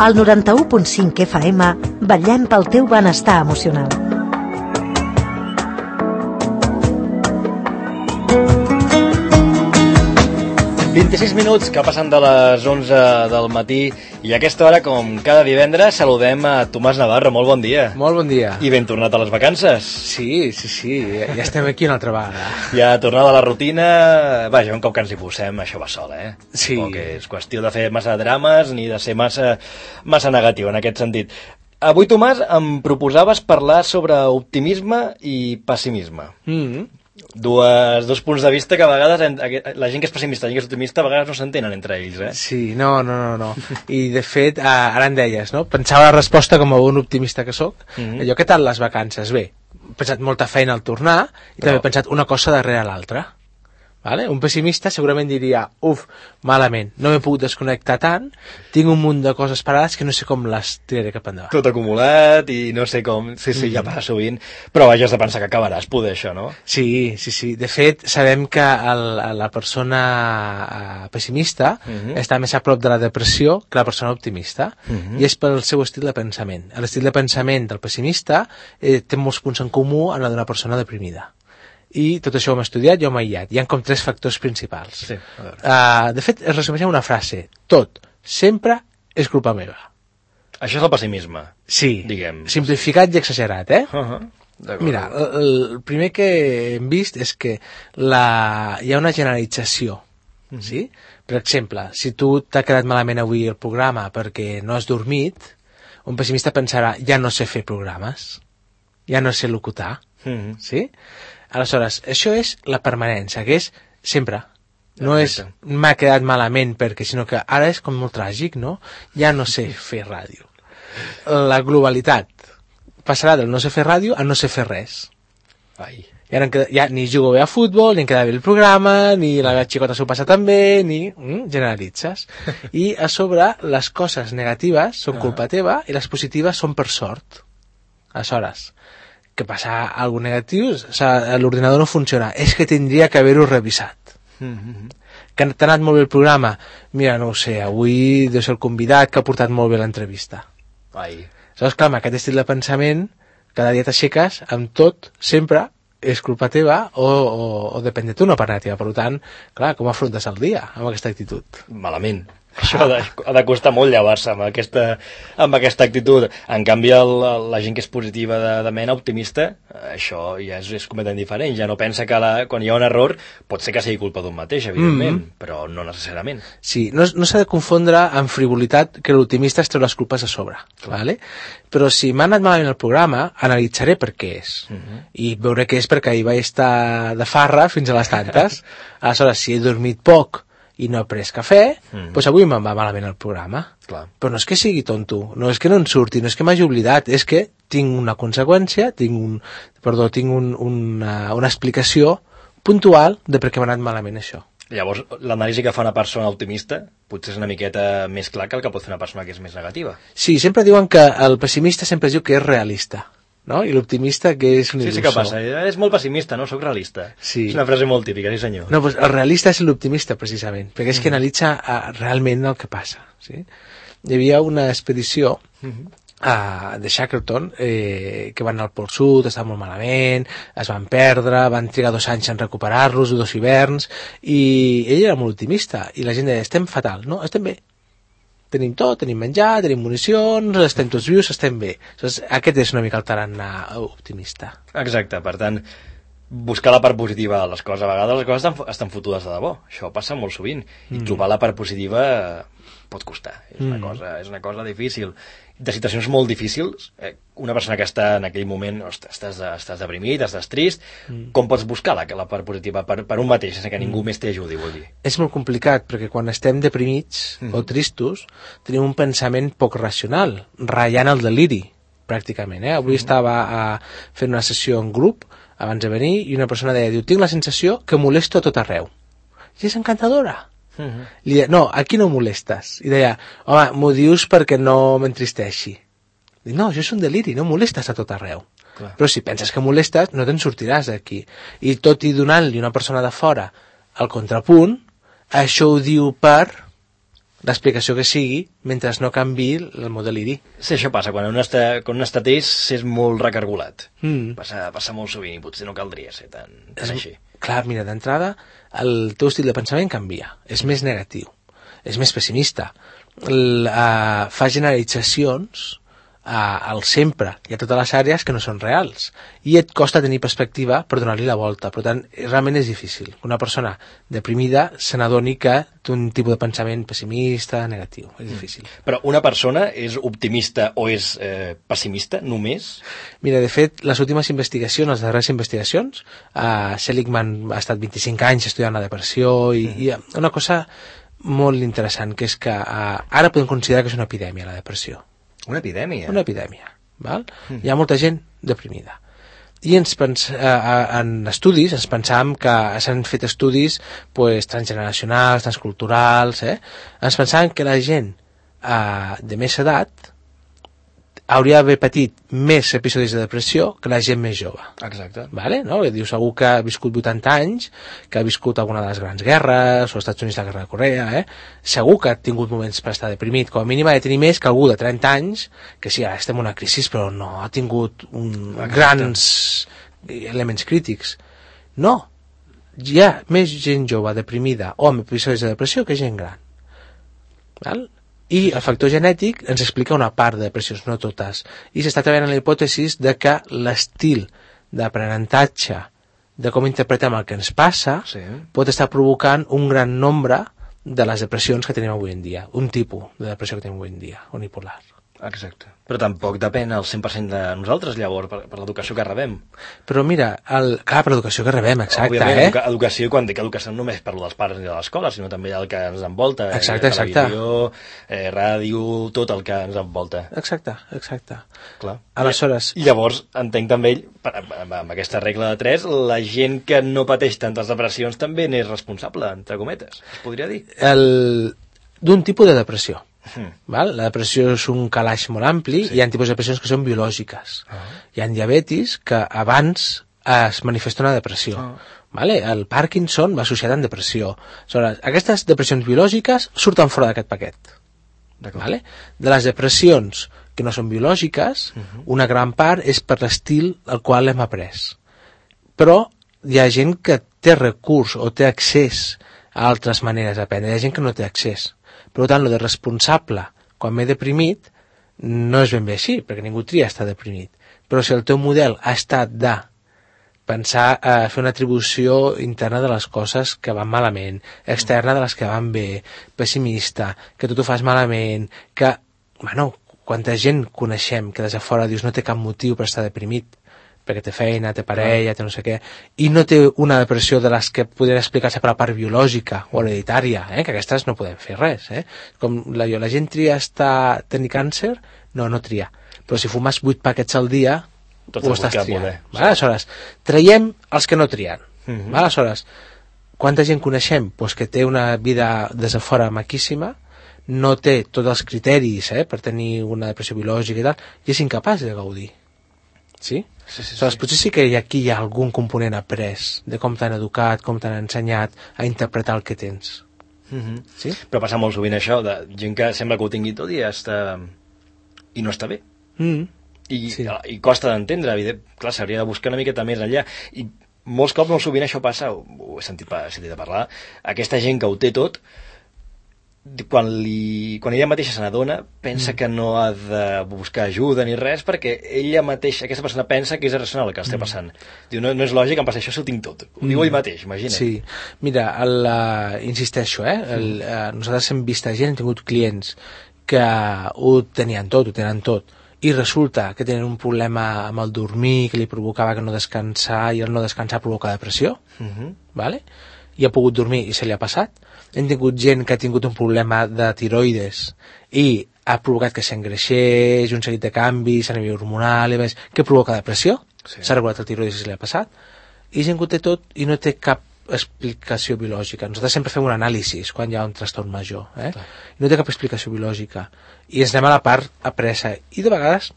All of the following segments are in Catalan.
Al 91.5 FM vetllem pel teu benestar emocional. ...26 que passen de les 11 del matí i a aquesta hora, com cada divendres, saludem a Tomàs Navarro. Molt bon dia. Molt bon dia. I ben tornat a les vacances. Sí, ja estem aquí una altra vegada. Ja tornada a la rutina... Vaja, un cop que ens hi posem, això va sol, Sí. Tampoc és qüestió de fer massa drames ni de ser massa negatiu en aquest sentit. Avui, Tomàs, em proposaves parlar sobre optimisme i pessimisme. Dos punts de vista que a vegades la gent que és pessimista i la gent que és optimista a vegades no s'entenen entre ells, Sí, no. I de fet, ara en deies, no? Pensava la resposta com a un optimista que sóc. Allò, què tal les vacances? Bé, he pensat molta feina al tornar i també he pensat una cosa darrere l'altra. Vale? Un pessimista segurament diria, malament, no m'he pogut desconnectar tant, tinc un munt de coses parades que no sé com les tiraré cap endavant. Tot acumulat i no sé com... Sí, ja passa sovint, però vaja, has de pensar que acabaràs poder això, no? Sí. De fet, sabem que la persona pessimista està més a prop de la depressió que la persona optimista, i és pel seu estil de pensament. L'estil de pensament del pessimista té molts punts en comú amb la d'una persona deprimida. I tot això ho hem estudiat i ho hem aïllat. Hi ha com 3 factors principals. Sí, de fet, es resumeix en una frase. Tot, sempre, és culpa meva. Això és el pessimisme. Sí, diguem. Simplificat i exagerat, Mira, el primer que hem vist és que hi ha una generalització. Sí? Per exemple, si tu t'ha quedat malament avui el programa perquè no has dormit, un pessimista pensarà, ja no sé fer programes, ja no sé locutar, sí? Aleshores, això és la permanència, que és sempre. No és m'ha quedat malament perquè, sinó que ara és com molt tràgic, no? Ja no sé fer ràdio. La globalitat passarà del no sé fer ràdio a no sé fer res. I ara ja ni jugo bé a futbol, ni em queda bé el programa, ni la xicota s'ho passa tan bé, ni... generalitzes. I a sobre, les coses negatives són culpa teva i les positives són per sort. Aleshores, que passa alguna negatiu, l'ordinador no funciona, és que tindria que haver-ho revisat. Que t'ha anat molt bé el programa, mira, no ho sé, avui deu ser el convidat que ha portat molt bé l'entrevista. Aleshores, clar, amb aquest estil de pensament, cada dia t'aixeques amb tot, sempre, és culpa teva o depèn de tu, no per negativa. Per tant, clar, com afrontes el dia amb aquesta actitud? Malament. Això ha de costar molt llevar-se amb aquesta actitud. En canvi, la gent que és positiva de mena, optimista, això ja és completament diferent. Ja no pensa que quan hi ha un error pot ser que sigui culpa d'un mateix, evidentment, però no necessàriament. Sí, no s'ha de confondre amb frivolitat que l'optimista es treu les culpes a sobre, ¿vale? Però si m'ha anat malament el programa, analitzaré per què és. I veuré què és perquè ahir vaig estar de farra fins a les tantes. Aleshores, si he dormit poc i no he pres cafè, doncs avui me'n va malament el programa. Però no és que sigui tonto, no és que no en surti, no és que m'hagi oblidat, és que tinc una conseqüència, tinc una explicació puntual de per què m'ha anat malament això. Llavors, l'anàlisi que fa una persona optimista potser és una miqueta més clar que el que pot fer una persona que és més negativa. Sí, sempre diuen que el pessimista sempre es diu que és realista, no? I l'optimista que és un il·lusor. Sí, què passa? És molt pessimista, no? Soc realista. Sí. És una frase molt típica, sí senyor. No, doncs el realista és l'optimista, precisament, perquè és que analitza realment el que passa. Sí? Hi havia una expedició de Shackleton que van al Pol Sud, estaven molt malament, es van perdre, van trigar 2 anys en recuperar-los, 2 hiverns, i ell era molt optimista, i la gent deia, estem fatal, no? Estem bé. Tenim tot, tenim menjar, tenim municions, estem tots vius, estem bé. Aquest és una mica el tarannà optimista. Exacte, per tant, buscar la part positiva de les coses. A vegades les coses estan fotudes de debò. Això passa molt sovint. I trobar la part positiva pot costar. És una cosa difícil. De situacions molt difícils, una persona que està en aquell moment, estàs deprimit, estàs trist, com pots buscar la part positiva per un mateix, sense que ningú més t'ajudi, vol dir? És molt complicat, perquè quan estem deprimits o tristos, tenim un pensament poc racional, ratllant el deliri, pràcticament. Avui estava fent una sessió en grup, abans de venir, i una persona deia, tinc la sensació que molesto a tot arreu. I és encantadora. Li deia, no, aquí no molestes. I deia, home, m'ho dius perquè no m'entristeixi. Dic, no, això és un deliri, no molestes a tot arreu. Però si penses que molestes, no te'n sortiràs d'aquí. I tot i donant-li una persona de fora el contrapunt, això ho diu per l'explicació que sigui mentre no canvi el mot deliri. Sí, això passa, quan un estat és molt recargolat. Passa molt sovint i potser no caldria ser tan així. Clar, mira, d'entrada el teu estil de pensament canvia, és més negatiu, és més pessimista, fa generalitzacions al sempre i a totes les àrees que no són reals i et costa tenir perspectiva per donar-li la volta. Per tant, realment és difícil que una persona deprimida se n'adoni que té un tipus de pensament pessimista, negatiu. És difícil. Però una persona és optimista o és pessimista només? Mira, de fet, les últimes investigacions, les darreres investigacions, Seligman ha estat 25 anys estudiant la depressió i una cosa molt interessant, que és que ara podem considerar que és una epidèmia, la depressió. Una epidèmia? Una epidèmia, val? Hi ha molta gent deprimida. I en estudis ens pensàvem que s'han fet estudis transgeneracionals, transculturals, ens pensàvem que la gent de més edat hauria d'haver patit més episodis de depressió que la gent més jove. Exacte. Vale? No? Dius, algú que ha viscut 80 anys, que ha viscut alguna de les grans guerres, o als Estats Units la guerra de Corea, segur que ha tingut moments per estar deprimit. Com a mínim ha de tenir més que algú de 30 anys, que sí, ara estem en una crisi, però no ha tingut grans elements crítics. No. Hi ha més gent jove deprimida o amb episodis de depressió que gent gran. Val? I el factor genètic ens explica una part de depressions, no totes. I s'està treballant en la hipòtesi de que l'estil d'aprenentatge, de com interpretem el que ens passa, pot estar provocant un gran nombre de les depressions que tenim avui en dia. Un tipus de depressió que tenim avui en dia, unipolar. Exacte. Però tampoc depèn al 100% de nosaltres, llavors, per l'educació que rebem. Però mira, clar, per l'educació que rebem, exacte. Òbviament, educació, quan dic educació no només parlo dels pares ni de l'escola, sinó també el que ens envolta. Exacte. Televisió, ràdio, tot el que ens envolta. Exacte. Clar. Aleshores... Llavors, entenc també, amb aquesta regla de 3, la gent que no pateix tantes depressions també n'és responsable, entre cometes, es podria dir. D'un tipus de depressió. Val? La depressió és un calaix molt ampli, hi ha tipus de depressions que són biològiques. Hi ha diabetis que abans es manifesta una depressió. Vale? El Parkinson va associat amb depressió. Aleshores, aquestes depressions biològiques surten fora d'aquest paquet. Vale? De les depressions que no són biològiques, una gran part és per l'estil al qual hem après. Però hi ha gent que té recurs o té accés a altres maneres d'aprendre. Hi ha gent que no té accés. Per tant, lo de responsable, quan m'he deprimit, no és ben bé així, perquè ningú tria estar deprimit. Però si el teu model ha estat de pensar, fer una atribució interna de les coses que van malament, externa de les que van bé, pessimista, que tu t'ho fas malament, que, quanta gent coneixem que des de fora dius no té cap motiu per estar deprimit, perquè té feina, té parella, té no sé què, i no té una depressió de les que podrien explicar-se per la part biològica o hereditària, que aquestes no podem fer res. Com la gent tria tenir càncer, no tria. Però si fumes 8 paquets al dia, ho estàs triant. Aleshores, traiem els que no trien. Aleshores, quanta gent coneixem que té una vida des de fora maquíssima, no té tots els criteris per tenir una depressió biològica i tal, i és incapaç de gaudir. Sí? Aleshores, potser sí que aquí hi ha algun component après de com t'han educat, com t'han ensenyat a interpretar el que tens. Sí? Però passa molt sovint això, de gent que sembla que ho tingui tot i no està bé. I costa d'entendre, clar, s'hauria de buscar una miqueta més enllà. I molts cops, molt sovint això passa, ho he sentit a parlar, aquesta gent que ho té tot, quan ella mateixa se n'adona, pensa que no ha de buscar ajuda ni res, perquè ella mateixa, aquesta persona pensa que és irracional el que està passant. Diu, no és lògic, em passa això si ho tinc tot. Ho diu ell mateix, imagina't. Sí, mira, insisteixo, nosaltres hem vist gent, hem tingut clients que ho tenien tot, i resulta que tenen un problema amb el dormir que li provocava que no descansar, i el no descansar provoca depressió, vale? I ha pogut dormir i se li ha passat. Hem tingut gent que ha tingut un problema de tiroides i ha provocat que s'engreixés, un seguit de canvis a nivell hormonal, que provoca depressió. S'ha regulat el tiroides i se li ha passat. I gent que ho té tot i no té cap explicació biològica. Nosaltres sempre fem un anàlisi quan hi ha un trastorn major. I no té cap explicació biològica. I ens anem a la part apresa. I de vegades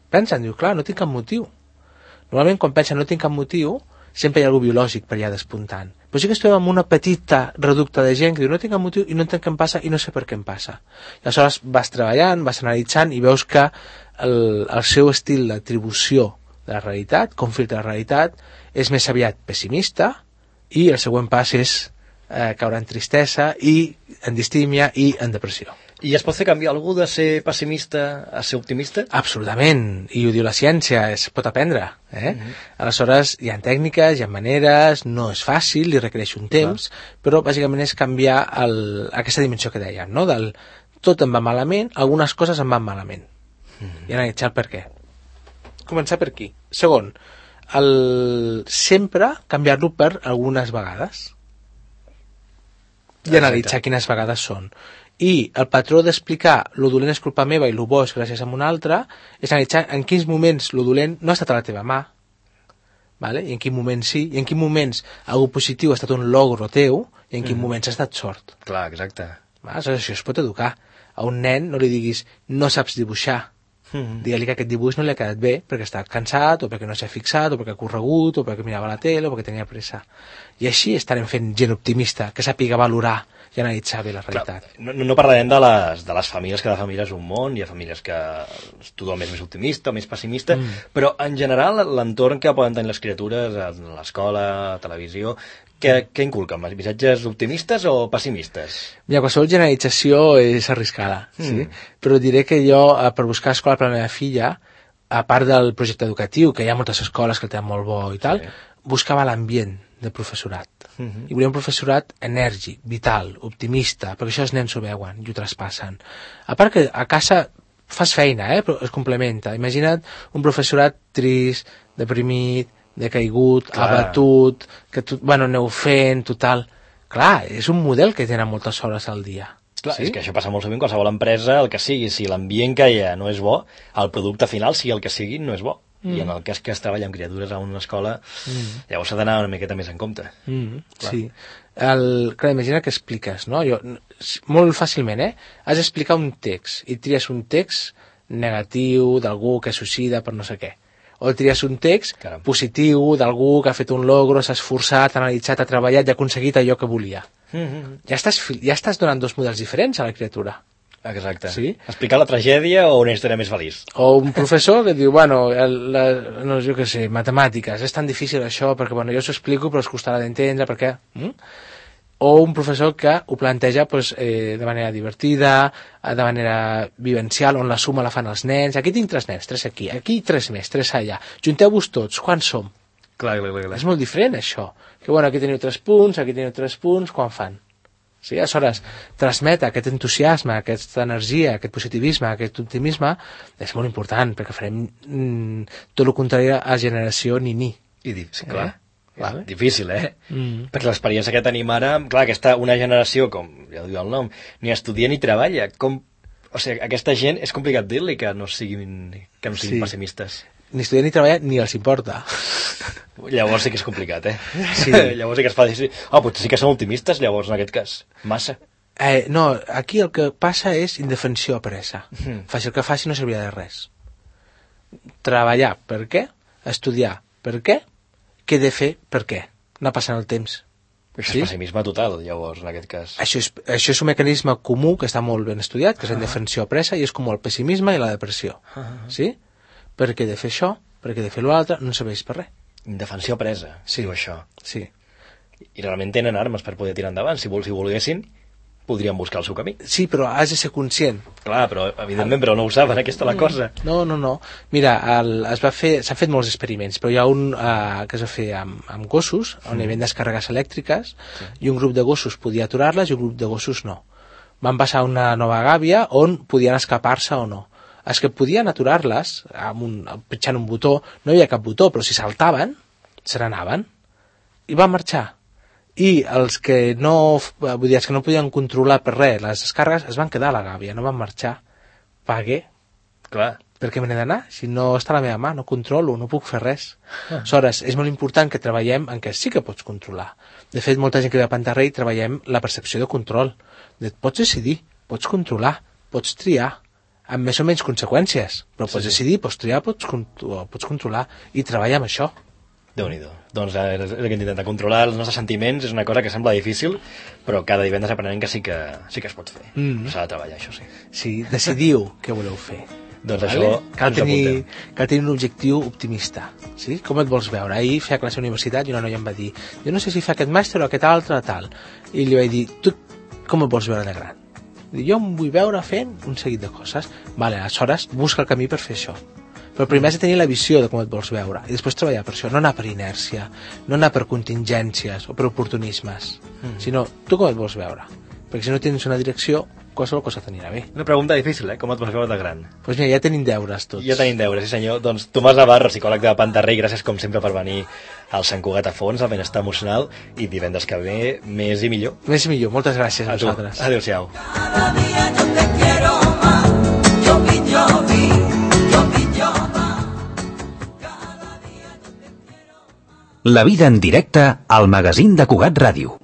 pensen, diu, clar, no tinc cap motiu. Normalment quan pensen no tinc cap motiu, sempre hi ha algú biològic per allà despuntant. Però sí que estem amb una petita reducte de gent que diu no tinc cap motiu i no entenc què em passa i no sé per què em passa. I aleshores vas treballant, vas analitzant i veus que el seu estil d'atribució de la realitat, com filtra la realitat, és més aviat pessimista i el següent pas és caure en tristesa i en distímia i en depressió. I es pot fer canviar algú de ser pessimista a ser optimista? Absolutament, i ho diu la ciència, es pot aprendre. Aleshores, hi ha tècniques, hi ha maneres, no és fàcil, li requereix un temps, però bàsicament és canviar aquesta dimensió que dèiem, no? Del tot em va malament, algunes coses em van malament. I analitzar per què. Començar per aquí. Segon, sempre canviar-lo per algunes vegades. I analitzar quines vegades són. I el patró d'explicar lo dolent és culpa meva i lo bo és gràcies a un altre és analitzar en quins moments lo dolent no ha estat a la teva mà, vale? I en quin moment sí, i en quins moments algo positiu ha estat un logro teu i en quins moments ha estat sort. Clar, exacte. Aleshores, això es pot educar. A un nen no li diguis no saps dibuixar, digue-li que aquest dibuix no li ha quedat bé perquè està cansat o perquè no s'ha fixat o perquè ha corregut o perquè mirava la tele o perquè tenia pressa. I així estarem fent gent optimista que sàpiga valorar i analitzar bé la realitat. Clar, no parlarem de les famílies, cada família és un món, hi ha famílies que tothom és més optimista o més pessimista, però en general l'entorn que poden tenir les criatures a l'escola, a la televisió, què inculquen? Missatges optimistes o pessimistes? Mira, qualsevol generalització és arriscada, sí? Però diré que jo, per buscar escola per a la meva filla, a part del projecte educatiu, que hi ha moltes escoles que el tenen molt bo i tal, buscava l'ambient de professorat. I volia un professorat enèrgic, vital, optimista, perquè això els nens ho veuen i ho traspassen. A part que a casa fas feina, però es complementa. Imagina't un professorat trist, deprimit, decaigut, abatut, que aneu fent, total. Clar, és un model que tenen moltes hores al dia. Clar, és que això passa molt sovint, qualsevol empresa, el que sigui, si l'ambient que hi ha no és bo, el producte final, sigui el que sigui, no és bo. I en el cas que es treballa amb criatures a una escola, llavors s'ha d'anar una miqueta més en compte. Sí. Clar, imagina que expliques, no? Molt fàcilment, has d'explicar un text, i tries un text negatiu d'algú que suïcida per no sé què. O tries un text positiu d'algú que ha fet un logro, s'ha esforçat, ha analitzat, ha treballat i ha aconseguit allò que volia. Ja estàs donant dos models diferents a la criatura. Exacte. Sí? Explicar la tragèdia o una història més feliç. O un professor que diu, no, jo què sé, matemàtiques, és tan difícil això, perquè jo s'ho explico però es costarà d'entendre, perquè... O un professor que ho planteja de manera divertida, de manera vivencial, on la suma la fan els nens. Aquí tinc 3 nens, 3 aquí 3 més, 3 allà. Junteu-vos tots, quants som? Clar. És molt diferent, això. Que aquí teniu 3 punts, aquí teniu 3 punts, quan fan? Sí, aleshores, transmetre aquest entusiasme, aquesta energia, aquest positivisme, aquest optimisme, és molt important, perquè farem tot el contrari a generació ni. Sí, clar. És difícil, Perquè l'experiència que tenim ara, clar, una generació, com ja diu el nom, ni estudia ni treballa. O sigui, aquesta gent és complicat dir-li que no siguin pessimistes. Ni estudiar ni treballar ni els importa. Llavors sí que és complicat, Sí. Llavors sí que es fa dir, potser sí que són optimistes, llavors en aquest cas, massa. No, aquí el que passa és indefensió a pressa. Faci el que faci no servirà de res. Treballar, per què? Estudiar, per què? Què he de fer, per què? Anar passant el temps. Això és pessimisme total, llavors, en aquest cas. Això és un mecanisme comú que està molt ben estudiat, que és la indefensió a pressa, i és com el pessimisme i la depressió. Sí? Perquè he de fer això, perquè he de fer l'altre, no serveix per res. Indefensió presa, diu això. Sí. I realment tenen armes per poder tirar endavant. Si volguessin, podrien buscar el seu camí. Sí, però has de ser conscient. Clar, però evidentment però no ho saben, aquesta és la cosa. No. Mira, s'han fet molts experiments, però hi ha un que es va fer amb gossos, on hi havia descàrregues elèctriques, i un grup de gossos podia aturar-les i un grup de gossos no. Van passar una nova gàbia on podien escapar-se o no. Els que podien aturar-les, pitjant un botó, no hi havia cap botó, però si saltaven, se n'anaven, i van marxar. I els que no podien controlar per res les descàrregues es van quedar a la gàbia, no van marxar. Per què? Clar. Per què me n'he d'anar? Si no està a la meva mà, no controlo, no puc fer res. Aleshores, és molt important que treballem en què sí que pots controlar. De fet, molta gent que ve a Pantarrei treballem la percepció de control. Pots decidir, pots controlar, pots triar, amb més o menys conseqüències, però pots decidir, pots triar, pots controlar, i treballar amb això. Déu-n'hi-do. Doncs és el que intentar controlar els nostres sentiments és una cosa que sembla difícil, però cada divendres aprenem que sí que es pot fer. S'ha de treballar, això sí. Sí, decidiu què voleu fer. Doncs això cal tenir un objectiu optimista, sí? Com et vols veure? Ahir feia classe a la universitat i una noia em va dir, jo no sé si fa aquest màster o aquest altre tal, i li vaig dir, tu com et vols veure de gran? Jo em vull veure fent un seguit de coses. Vale, aleshores busca el camí per fer això, però primer has de tenir la visió de com et vols veure i després treballar per això, no anar per inèrcia, no anar per contingències o per oportunismes, sinó tu com et vols veure, perquè si no tens una direcció qualsevol cosa t'anirà bé. Una pregunta difícil, com et vols veure de gran? Doncs mira, ja tenim deures tots. Ja tenim deures, sí senyor. Doncs Tomàs Navarro, psicòleg de Pantarrey, gràcies com sempre per venir al Sant Cugat a fons, al benestar emocional, i divendres que ve més i millor. Més i millor, moltes gràcies a vosaltres. Adéu-siau. Cada día yo te quiero más, yo vi, yo vi, yo vi, yo más. Cada día yo te quiero más. La vida en directe al magazín de Cugat Ràdio.